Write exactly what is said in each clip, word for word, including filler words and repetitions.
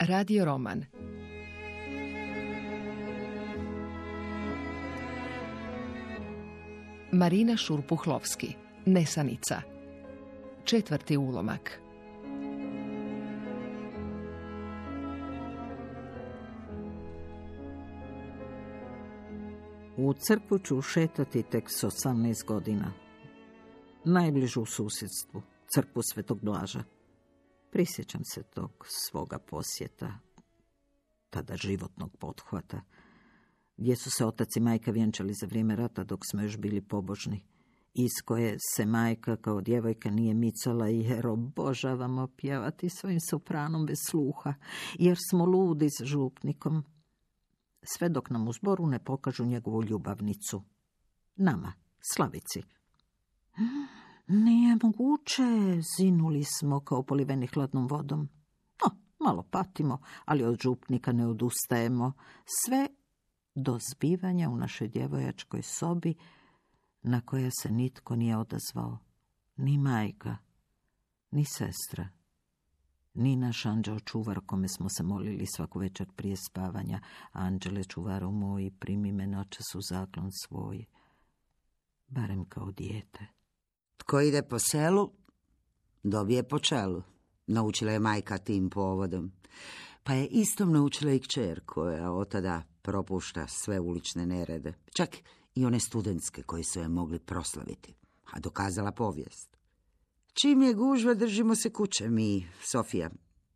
Radio roman. Marina Šurpuhlovski, Nesanica. Četvrti ulomak. U crkvu ću šetati tek s osamnaest godina. Najbližu u susjedstvu, crkvu Svetog Blaža. Prisjećam se tog svoga posjeta, tada životnog pothvata, gdje su se otac i majka vjenčali za vrijeme rata dok smo još bili pobožni, iz koje se majka kao djevojka nije micala jer obožavamo pjevati svojim sopranom bez sluha, jer smo ludi s župnikom, sve dok nam u zboru ne pokažu njegovu ljubavnicu. Nama, Slavici. Nije moguće, zinuli smo kao poliveni hladnom vodom. No, malo patimo, ali od župnika ne odustajemo. Sve do zbivanja u našoj djevojačkoj sobi na koja se nitko nije odazvao. Ni majka, ni sestra, ni naš anđeo čuvar kome smo se molili svaku večer prije spavanja. Anđele čuvaru moj, primi me noćas u zaklon svoj, barem kao dijete. Tko ide po selu, dobije po čelu. Naučila je majka tim povodom. Pa je istom naučila i kćer koja od tada propušta sve ulične nerede. Čak i one studentske koji su je mogli proslaviti. A dokazala povijest. Čim je gužva, držimo se kuće mi, Sofija,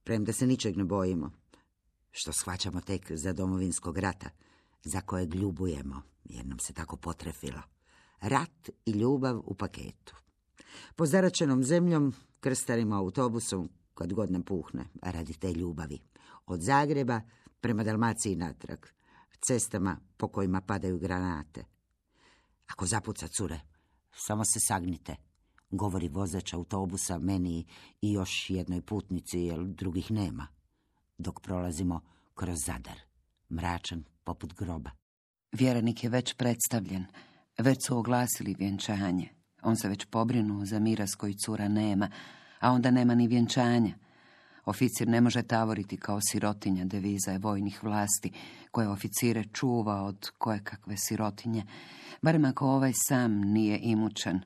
premda se ničeg ne bojimo. Što shvaćamo tek za Domovinskog rata, za kojeg ljubujemo, jer nam se tako potrefilo. Rat i ljubav u paketu. Po zaračenom zemljom, krstarim autobusom, kad god nam puhne, radi te ljubavi. Od Zagreba prema Dalmaciji natrag, cestama po kojima padaju granate. Ako zapuca cure, samo se sagnite, govori vozač autobusa meni i još jednoj putnici, jer drugih nema, dok prolazimo kroz Zadar, mračan poput groba. Vjerenik je već predstavljen, već su oglasili vjenčanje. On se već pobrinuo za miraz koji cura nema, a onda nema ni vjenčanja. Oficir ne može tavoriti kao sirotinja, deviza je vojnih vlasti, koje oficire čuva od kojekakve sirotinje, barem ako ovaj sam nije imućan.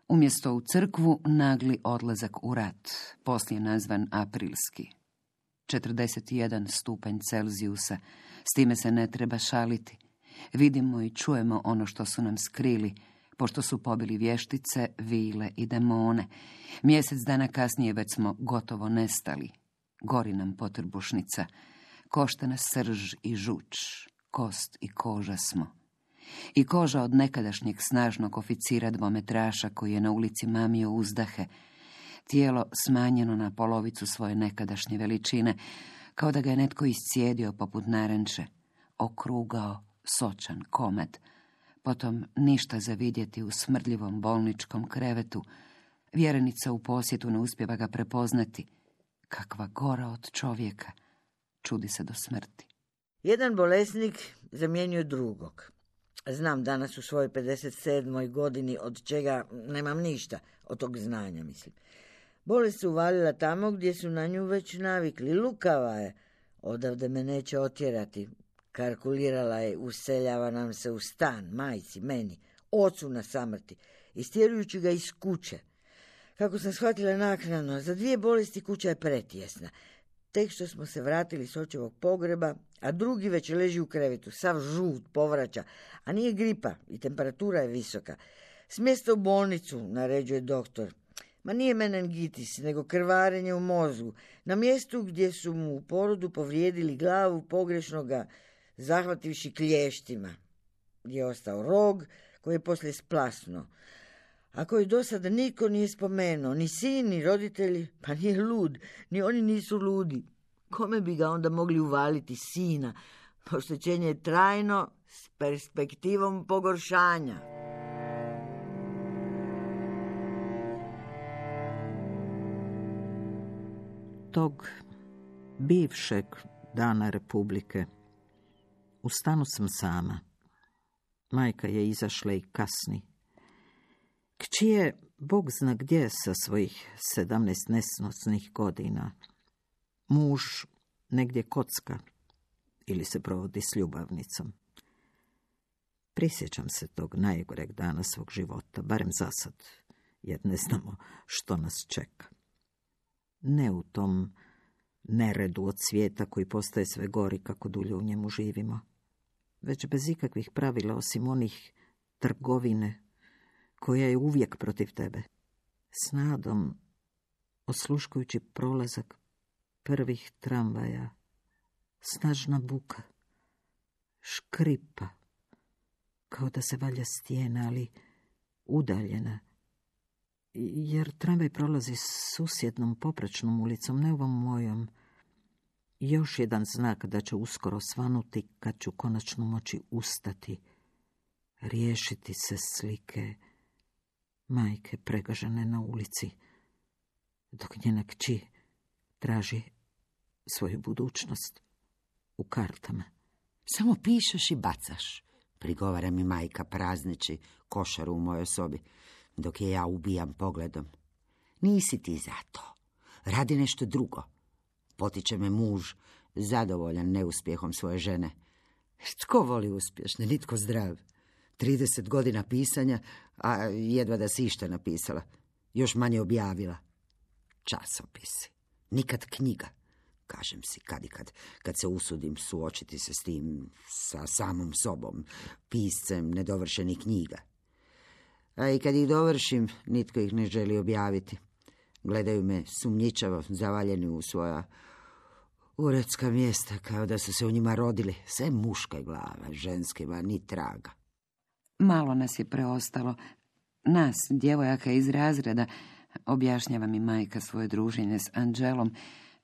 Umjesto u crkvu, nagli odlazak u rat, poslije nazvan aprilski. četrdeset jedan stupanj Celzijusa, s time se ne treba šaliti. Vidimo i čujemo ono što su nam skrili, pošto su pobili vještice, vile i demone. Mjesec dana kasnije već smo gotovo nestali. Gori nam potrbušnica, košta nas srž i žuč, kost i koža smo. I koža od nekadašnjeg snažnog oficira dvometraša koji je na ulici mamio uzdahe, tijelo smanjeno na polovicu svoje nekadašnje veličine, kao da ga je netko iscijedio poput naranče, okrugao, sočan komad, potom ništa za vidjeti u smrdljivom bolničkom krevetu. Vjerenica u posjetu ne uspijeva ga prepoznati. Kakva gora od čovjeka, čudi se do smrti. Jedan bolesnik zamjenjuje drugog. Znam danas u svojoj pedeset sedmoj godini, od čega nemam ništa, od tog znanja, mislim. Bolest se uvalila tamo gdje su na nju već navikli. Lukava je, odavde me neće otjerati. Kalkulirala je, useljava nam se u stan, majci, meni, ocu na samrti, istjerujući ga iz kuće. Kako sam shvatila naknadno, za dvije bolesti kuća je pretjesna. Tek što smo se vratili s očevog pogreba, a drugi već leži u krevetu, sav žut, povraća, a nije gripa i temperatura je visoka. Smjesta u bolnicu, naređuje doktor. Ma nije meningitis, nego krvarenje u mozgu. Na mjestu gdje su mu u porodu povrijedili glavu, pogrešno ga zahvativši klještima, gdje je ostao rog koji je poslije splasnuo, a koji do sada niko nije spomenuo, ni sin, ni roditelji, pa nije lud, ni oni nisu ludi. Kome bi ga onda mogli uvaliti sina? Oštećenje je trajno s perspektivom pogoršanja. Tog bivšeg dana Republike u stanu sam sama. Majka je izašla i kasni. Kći je, Bog zna gdje sa svojih sedamnaest nesnosnih godina. Muž negdje kocka ili se provodi s ljubavnicom. Prisjećam se tog najgoreg dana svog života, barem za sad, jer ne znamo što nas čeka. Ne u tom neredu od svijeta koji postaje sve gori kako dulje u njemu živimo, već bez ikakvih pravila osim onih trgovine koja je uvijek protiv tebe. S nadom, osluškujući prolazak prvih tramvaja, snažna buka, škripa, kao da se valja stijena, ali udaljena, jer tramvaj prolazi susjednom poprečnom ulicom, ne ovom mojom. Još jedan znak da će uskoro svanuti kad ću konačno moći ustati, riješiti se slike majke pregažene na ulici, dok njena kći traži svoju budućnost u kartama. Samo pišeš i bacaš, prigovara mi majka prazneći košaru u mojoj sobi, dok je ja ubijam pogledom. Nisi ti za to. Radi nešto drugo. Potiče me muž, zadovoljan neuspjehom svoje žene. Tko voli uspješne, nitko zdrav. trideset godina pisanja, a jedva da si išta napisala. Još manje objavila. Časopisi. Nikad knjiga. Kažem si kad i kad, kad se usudim suočiti se s tim, sa samom sobom, piscem nedovršenih knjiga. A i kad ih dovršim, nitko ih ne želi objaviti. Gledaju me sumnjičavo, zavaljeni u svoja uredska mjesta, kao da su se u njima rodili. Sve muška glava, ženskima ni traga. Malo nas je preostalo. Nas, djevojaka iz razreda, objašnjava mi majka svoje druženje s Anđelom,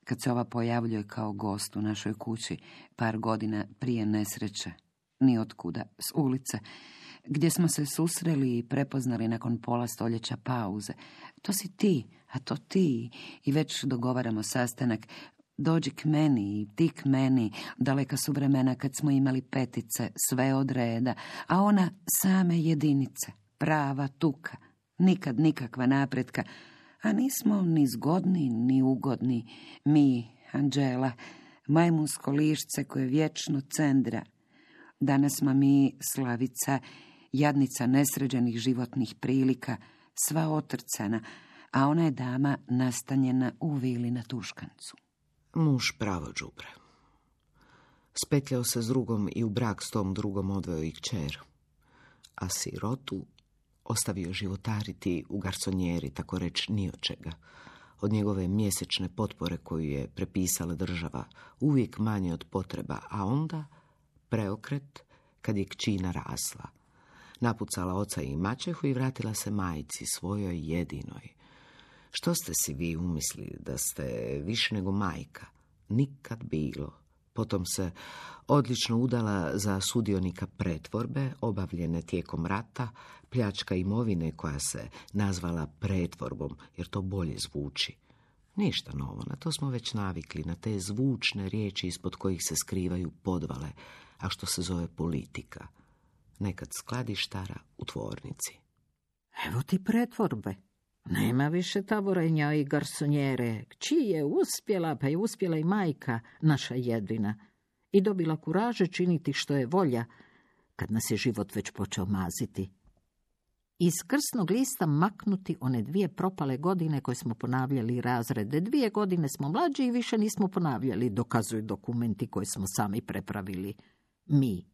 kad se ova pojavljuje kao gost u našoj kući par godina prije nesreće, ni otkuda, s ulice, gdje smo se susreli i prepoznali nakon pola stoljeća pauze. To si ti, a to ti, i već dogovaramo sastanak. Dođi k meni i ti k meni. Daleka su vremena kad smo imali petice, sve od reda, a ona same jedinice, prava tuka, nikad nikakva napretka. A nismo ni zgodni, ni ugodni, mi, Anđela, majmunsko lišce koje vječno cendra. Danas smo mi Slavica, jadnica nesređenih životnih prilika, sva otrcana, a ona je dama nastanjena u vili na Tuškancu. Muž pravo đubre. Spetljao se s drugom i u brak s tom drugom odveo i kćer, a sirotu ostavio životariti u garsonjeri, tako reč ni od čega. Od njegove mjesečne potpore koju je prepisala država, uvijek manje od potreba, a onda preokret kad je kći narasla. Napucala oca i maćehu i vratila se majci, svojoj jedinoj. Što ste si vi umislili da ste više nego majka? Nikad bilo. Potom se odlično udala za sudionika pretvorbe, obavljene tijekom rata, pljačka imovine koja se nazvala pretvorbom, jer to bolje zvuči. Ništa novo, na to smo već navikli, na te zvučne riječi ispod kojih se skrivaju podvale, a što se zove politika. Nekad skladištara u tvornici. Evo ti pretvorbe. Nema više taborenja i garsonjere. Kći je uspjela, pa je uspjela i majka, naša jedina. I dobila kuraže činiti što je volja, kad nas je život već počeo maziti. Iz krsnog lista maknuti one dvije propale godine koje smo ponavljali razrede. Dvije godine smo mlađi i više nismo ponavljali, dokazuju dokumenti koje smo sami prepravili. Mi,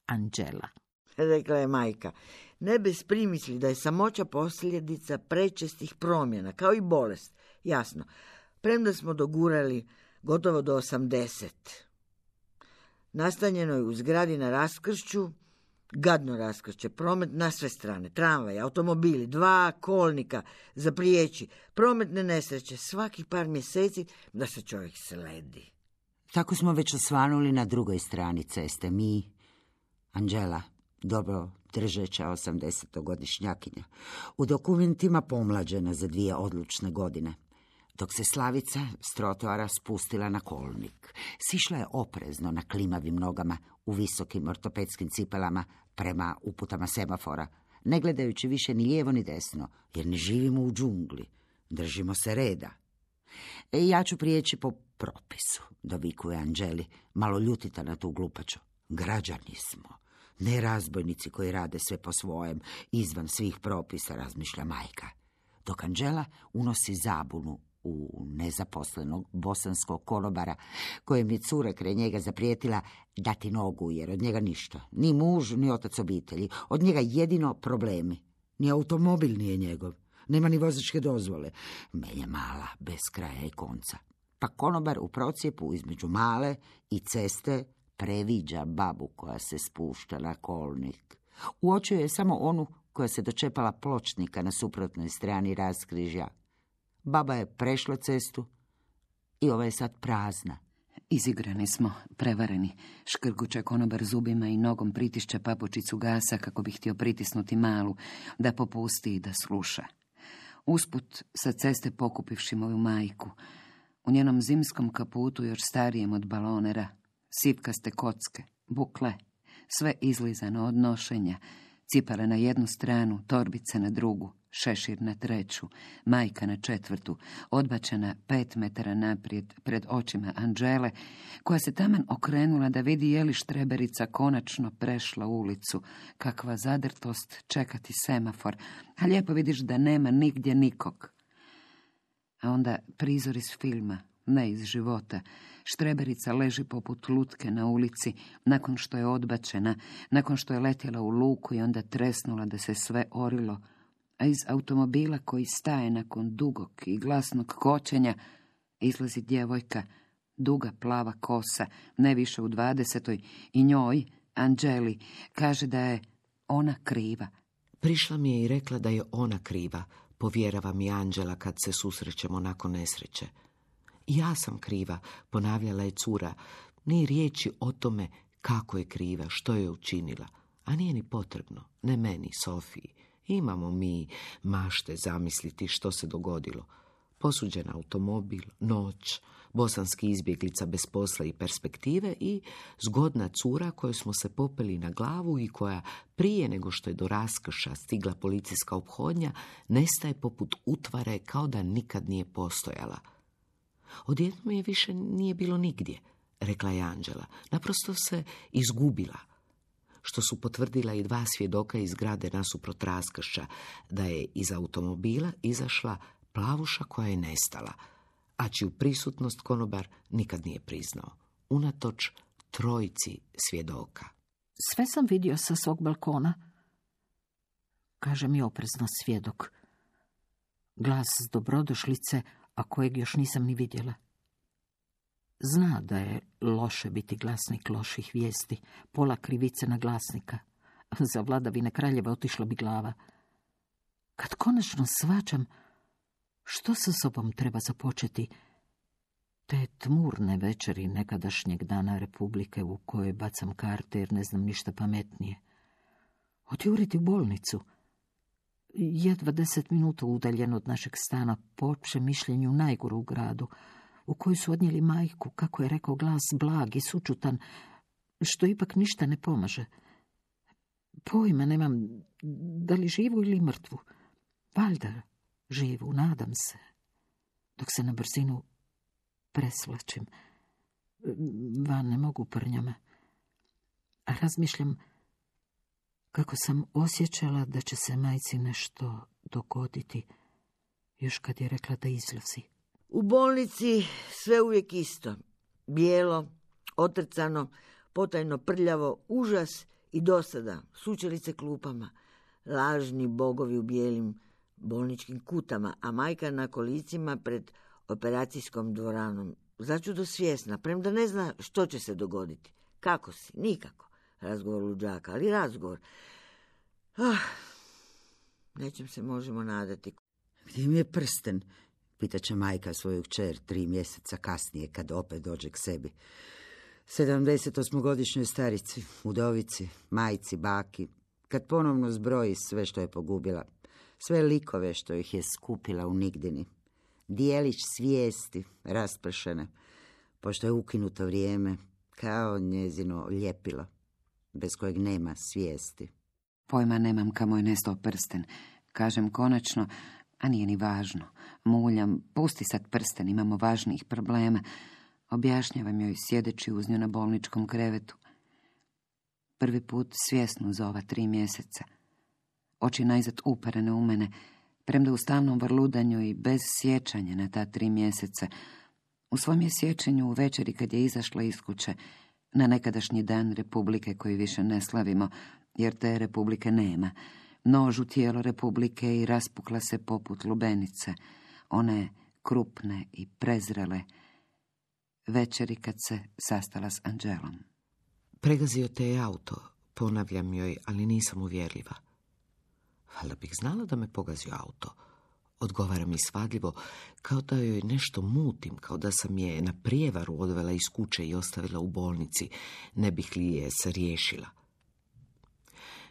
Anđela. Rekla je majka, ne bez primisli da je samoća posljedica prečestih promjena, kao i bolest. Jasno, premda smo dogurali gotovo do osamdeset. Nastanjeno je u zgradi na raskršću, gadno raskršće, promet na sve strane, tramvaj, automobili, dva kolnika za prijeći, prometne nesreće, svaki par mjeseci da se čovjek sledi. Tako smo već osvanuli na drugoj strani ceste, mi, Anđela, dobro držeća osamdesetogodišnjakinja, u dokumentima pomlađena za dvije odlučne godine, dok se Slavica s trotoara spustila na kolnik. Sišla je oprezno na klimavim nogama u visokim ortopedskim cipelama prema uputama semafora, ne gledajući više ni lijevo ni desno, jer ne živimo u džungli, držimo se reda. E, ja ću prijeći po propisu, dovikuje Anđeli, malo ljutita na tu glupaču. Građani smo, ne razbojnici koji rade sve po svojem, izvan svih propisa, razmišlja majka. Dok Anđela unosi zabunu u nezaposlenog bosanskog konobara, kojem je cura kraj njega zaprijetila dati nogu, jer od njega ništa. Ni muž, ni otac obitelji. Od njega jedino problemi. Ni automobil nije njegov. Nema ni vozačke dozvole. Melje mala, bez kraja i konca. Pa konobar u procijepu između male i ceste previđa babu koja se spušta na kolnik. Uočio je samo onu koja se dočepala pločnika na suprotnoj strani raskrižja. Baba je prešla cestu i ova je sad prazna. Izigrani smo, prevareni. Škrguće konobar zubima i nogom pritišće papučicu gasa kako bi htio pritisnuti malu, da popusti i da sluša. Usput sa ceste pokupivši moju majku. U njenom zimskom kaputu, još starijem od balonera, sipkaste kocke, bukle, sve izlizano od nošenja, cipale na jednu stranu, torbice na drugu, šešir na treću, majka na četvrtu, odbačena pet metara naprijed pred očima Anđele, koja se taman okrenula da vidi je li štreberica konačno prešla ulicu. Kakva zadrtost čekati semafor, a lijepo vidiš da nema nigdje nikog. A onda prizor iz filma, ne iz života. Štreberica leži poput lutke na ulici, nakon što je odbačena, nakon što je letjela u luku i onda tresnula da se sve orilo, a iz automobila koji staje nakon dugog i glasnog kočenja izlazi djevojka, duga plava kosa, ne više u dvadesetoj, i njoj, Anđeli, kaže da je ona kriva. Prišla mi je i rekla da je ona kriva, povjerava mi Anđela kad se susrećemo nakon nesreće. Ja sam kriva, ponavljala je cura, ni riječi o tome kako je kriva, što je učinila, a nije ni potrebno, ne meni, Sofiji. Imamo mi mašte zamisliti što se dogodilo. Posuđen automobil, noć, bosanski izbjeglica bez posla i perspektive i zgodna cura koju smo se popeli na glavu i koja prije nego što je do raskrša stigla policijska ophodnja nestaje poput utvare kao da nikad nije postojala. Odjednom je više nije bilo nigdje, rekla je Anđela. Naprosto se izgubila. Što su potvrdila i dva svjedoka iz zgrade nasuprot raskršća, da je iz automobila izašla plavuša koja je nestala, a čiju prisutnost konobar nikad nije priznao, unatoč trojici svjedoka. Sve sam vidio sa svog balkona, kaže mi oprezno svjedok. Glas s dobrodošlice, a kojeg još nisam ni vidjela. Zna da je loše biti glasnik loših vijesti, pola krivice na glasnika. Za vladavine kraljeva otišla bi glava. Kad konačno svačam što sa sobom treba započeti, te tmurne večeri nekadašnjeg dana Republike u kojoj bacam karte jer ne znam ništa pametnije. Odjuriti u bolnicu, jedva deset minuta udaljen od našeg stana, po općem mišljenju najgoru u gradu, u koju su odnijeli majku, kako je rekao glas, blag i sučutan, što ipak ništa ne pomaže. Pojma nemam da li živu ili mrtvu. Valjda živu, nadam se, dok se na brzinu preslačim. Van ne mogu prnjama. A razmišljam kako sam osjećala da će se majci nešto dogoditi, još kad je rekla da izlazi. U bolnici sve uvijek isto. Bijelo, otrcano, potajno prljavo, užas i dosada, sučelice klupama, lažni bogovi u bijelim bolničkim kutama, a majka na kolicima pred operacijskom dvoranom. Začudo svjesna, premda ne zna što će se dogoditi. Kako si? Nikako. Razgovor luđaka, ali razgovor. Ah, nečem se možemo nadati. Gdje mi je prsten? Pitaće majka svoju kćer tri mjeseca kasnije, kad opet dođe k sebi. Sedamdesetosmogodišnjoj starici, udovici, majci, baki, kad ponovno zbroji sve što je pogubila, sve likove što ih je skupila u nigdini, dijelić svijesti raspršene, pošto je ukinuto vrijeme, kao njezino ljepilo, bez kojeg nema svijesti. Pojma nemam kamo je nestao prsten. Kažem konačno, A nije ni važno. Muljam, pusti sad prsten, imamo važnijih problema. Objašnjavam joj sjedeći uz nju na bolničkom krevetu. Prvi put svjesno za ova tri mjeseca. Oči najzad uperene u mene, premda u stalnom vrludanju i bez sjećanja na ta tri mjeseca. U svom je sjećanju u večeri kad je izašla iz kuće, na nekadašnji dan Republike koji više ne slavimo, jer te Republike nema. Nož u tijelo Republike i raspukla se poput lubenice, one krupne i prezrele, večeri kad se sastala s Anđelom. Pregazio te je auto, ponavljam joj, ali nisam uvjerljiva. Valjda bih znala da me pogazio auto. Odgovara mi svadljivo, kao da joj nešto mutim, kao da sam je na prijevaru odvela iz kuće i ostavila u bolnici, ne bih li je se riješila.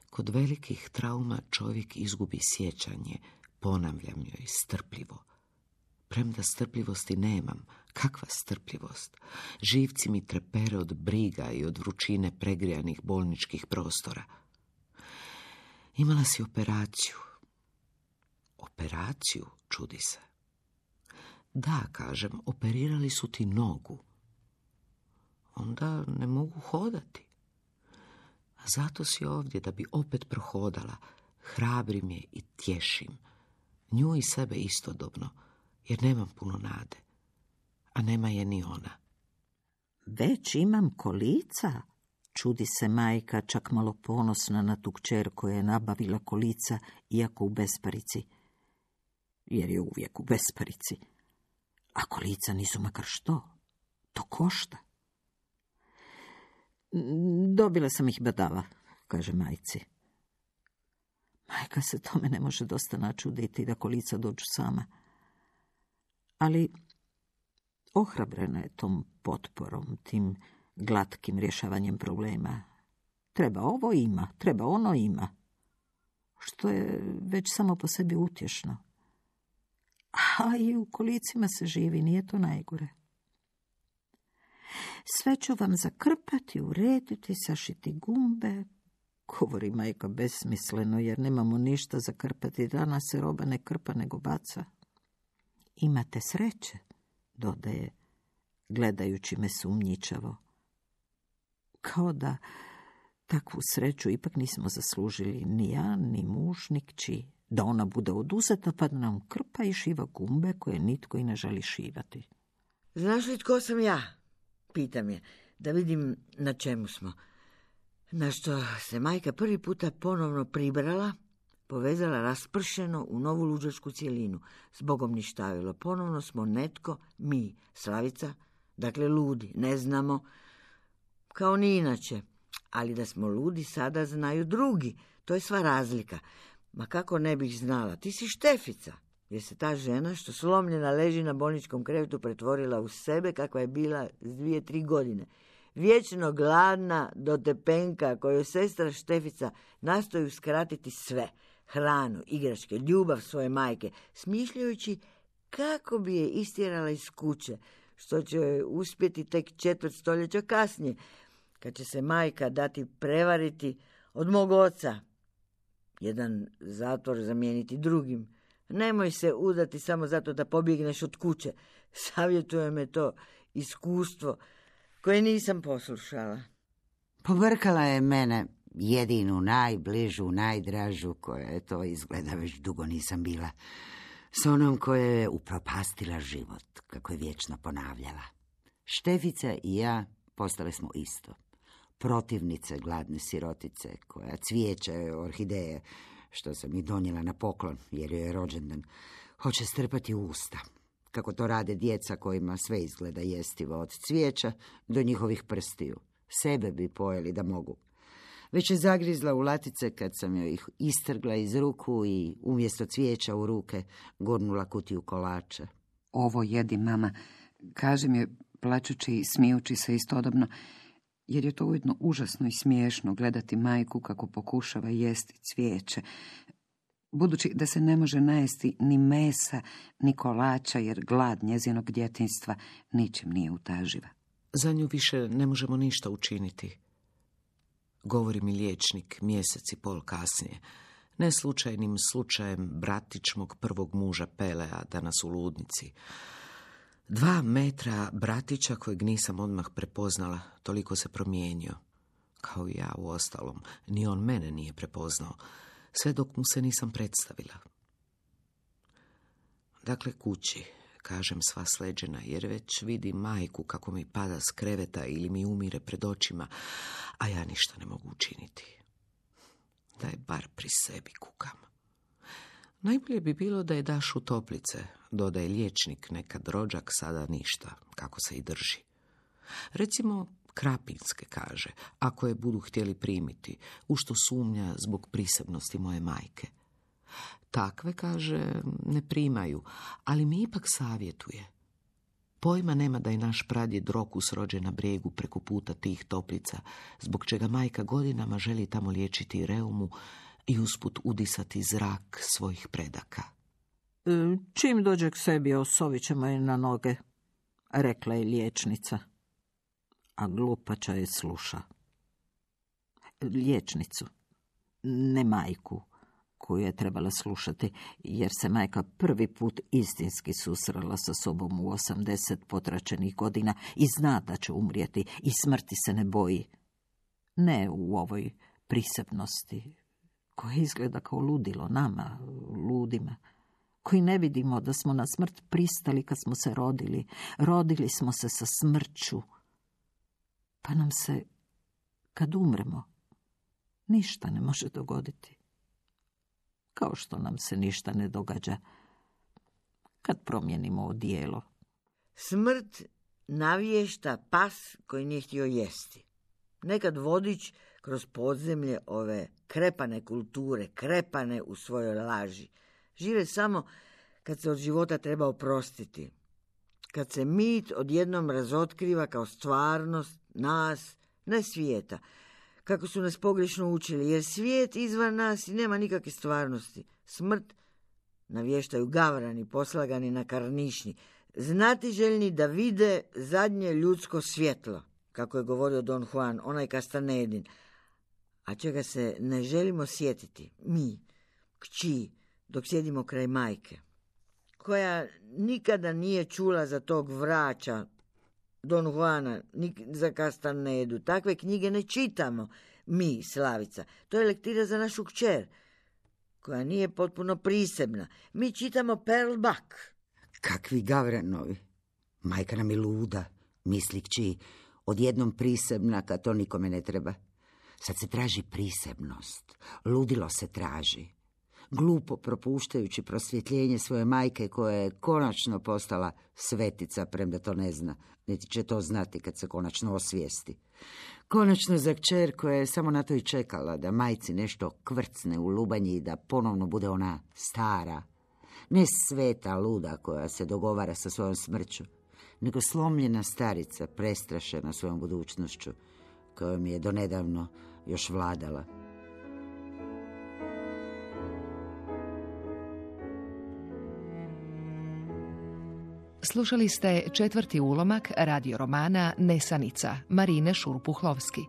Kod velikih trauma čovjek izgubi sjećanje, ponavljam joj strpljivo. Premda strpljivosti nemam, kakva strpljivost? Živci mi trepere od briga i od vrućine pregrijanih bolničkih prostora. Imala si operaciju. Operaciju, čudi se. Da, kažem, operirali su ti nogu. Onda ne mogu hodati. A zato si ovdje, da bi opet prohodala. Hrabrim je i tješim. Nju i sebe istodobno, jer nemam puno nade. A nema je ni ona. Već imam kolica? Čudi se majka, čak malo ponosna na tu kćer koja je nabavila kolica, iako u besparici. Jer je uvijek u besparici. A kolica nisu makar što. To košta. Dobila sam ih badava, kaže majci. Majka se tome ne može dosta načuditi da kolica dođu sama. Ali ohrabrena je tom potporom, tim glatkim rješavanjem problema. Treba ovo ima, treba ono ima. Što je već samo po sebi utješno. A i u kolicima se živi, nije to najgore. Sve ću vam zakrpati, urediti, sašiti gumbe, govori majka besmisleno, jer nemamo ništa zakrpati. Danas se roba ne krpa, nego baca. Imate sreće, dodaje, gledajući me sumnjičavo. Kao da takvu sreću ipak nismo zaslužili ni ja, ni muž, ni kći. Da ona bude oduzeta pa da nam krpa i šiva gumbe koje nitko i ne želi šivati. Znaš li tko sam ja? Pitam je, da vidim na čemu smo. Na što se majka prvi puta ponovno pribrala, povezala raspršeno u novu luđačku cjelinu. Zbogom ništavilo. Ponovno smo netko, mi, Slavica, dakle ludi, ne znamo, kao ni inače. Ali da smo ludi sada znaju drugi. To je sva razlika. Ma kako ne bih znala, ti si Štefica. Jer se ta žena što slomljena leži na bolničkom krevetu pretvorila u sebe kakva je bila s dvije, tri godine. Vječno gladna do tepenka koju sestra Štefica nastoji uskratiti sve. Hranu, igračke, ljubav svoje majke, smišljajući kako bi je istjerala iz kuće, što će joj uspjeti tek četvrt stoljeća kasnije, kad će se majka dati prevariti od mog oca. Jedan zatvor zamijeniti drugim. Nemoj se udati samo zato da pobjegneš od kuće. Savjetuje me to iskustvo koje nisam poslušala. Pobrkala je mene, jedinu, najbližu, najdražu, koja je to izgleda već dugo nisam bila, s onom koja je upropastila život, kako je vječno ponavljala. Štefica i ja postale smo isto. Protivnice gladne sirotice, koja cvijeće orhideje, što sam ih donijela na poklon, jer joj je rođendan, hoće strpati u usta, kako to rade djeca kojima sve izgleda jestivo, od cvijeća do njihovih prstiju. Sebe bi pojeli da mogu. Već je zagrizla u latice kad sam joj ih istrgla iz ruku i umjesto cvijeća u ruke gurnula kutiju kolača. Ovo jedi, mama, kaže mi plačući i smijući se istodobno, jer je to ujedno užasno i smiješno gledati majku kako pokušava jesti cvijeće, budući da se ne može najesti ni mesa, ni kolača, jer glad njezinog djetinjstva ničim nije utaživa. Za nju više ne možemo ništa učiniti, govori mi liječnik mjesec i pol kasnije. Neslučajnim slučajem bratić mog prvog muža Pelea danas u ludnici. Dva metra bratića kojeg nisam odmah prepoznala, toliko se promijenio. Kao i ja u ostalom, ni on mene nije prepoznao, sve dok mu se nisam predstavila. Dakle, kući, kažem sva sleđena, jer već vidim majku kako mi pada s kreveta ili mi umire pred očima, a ja ništa ne mogu učiniti. Da je bar pri sebi kukam. Najbolje bi bilo da je daš u toplice, dodaje liječnik, nekad rođak, sada ništa, kako se i drži. Recimo, krapinske, kaže, ako je budu htjeli primiti, u što sumnja zbog prisebnosti moje majke. Takve, kaže, ne primaju, ali mi ipak savjetuje. Pojma nema da je naš pradjed Rokus rođen na brijegu preko puta tih toplica, zbog čega majka godinama želi tamo liječiti reumu i usput udisati zrak svojih predaka. Čim dođe k sebi, osovit ćemo je na noge, rekla je liječnica. A glupača je sluša. Liječnicu, ne majku, koju je trebala slušati, jer se majka prvi put istinski susrela sa sobom u osamdeset potračenih godina i zna da će umrijeti i smrti se ne boji. Ne u ovoj prisebnosti, koja izgleda kao ludilo nama, ludima, koji ne vidimo da smo na smrt pristali kad smo se rodili. Rodili smo se sa smrću. Pa nam se, kad umremo, ništa ne može dogoditi. Kao što nam se ništa ne događa kad promijenimo odijelo. Smrt navješta pas koji nije htio jesti. Nekad vodič kroz podzemlje ove krepane kulture, krepane u svojoj laži, žive samo kad se od života treba oprostiti. Kad se mit odjednom razotkriva kao stvarnost nas, ne svijeta, kako su nas pogrešno učili, jer svijet izvan nas i nema nikakve stvarnosti. Smrt navještaju gavrani, poslagani na karnišnji, znatiželjni da vide zadnje ljudsko svjetlo, kako je govorio Don Juan, onaj Castanedin, a čega se ne želimo sjetiti, mi, kći, dok sjedimo kraj majke, koja nikada nije čula za tog vraća Don Juana, ni za Castanedu. Takve knjige ne čitamo mi, Slavica. To je lektira za našu kćer, koja nije potpuno prisebna. Mi čitamo Pearl Buck. Kakvi gavranovi. Majka nam je luda, misli kći, odjednom prisebna kad to nikome ne treba. Sad se traži prisebnost. Ludilo se traži. Glupo propuštajući prosvjetljenje svoje majke koja je konačno postala svetica, premda to ne zna, niti će to znati kad se konačno osvijesti. Konačno za kćer koja je samo na to i čekala da majci nešto kvrcne u lubanji i da ponovno bude ona stara, ne sveta luda koja se dogovara sa svojom smrću, nego slomljena starica prestrašena svojom budućnošću, kojom je donedavno još vladala. Slušali ste četvrti ulomak radio romana Nesanica Marine Šurpuhlovski.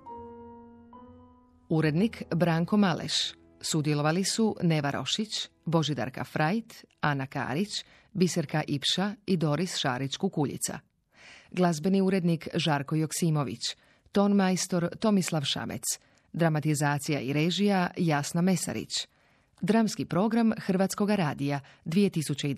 Urednik Branko Maleš. Sudjelovali su Neva Rošić, Božidarka Frajt, Ana Karić, Biserka Ipša i Doris Šarić-Kukuljica. Glazbeni urednik Žarko Joksimović, ton majstor Tomislav Šamec, dramatizacija i režija Jasna Mesarić. Dramski program Hrvatskoga radija dvije tisuće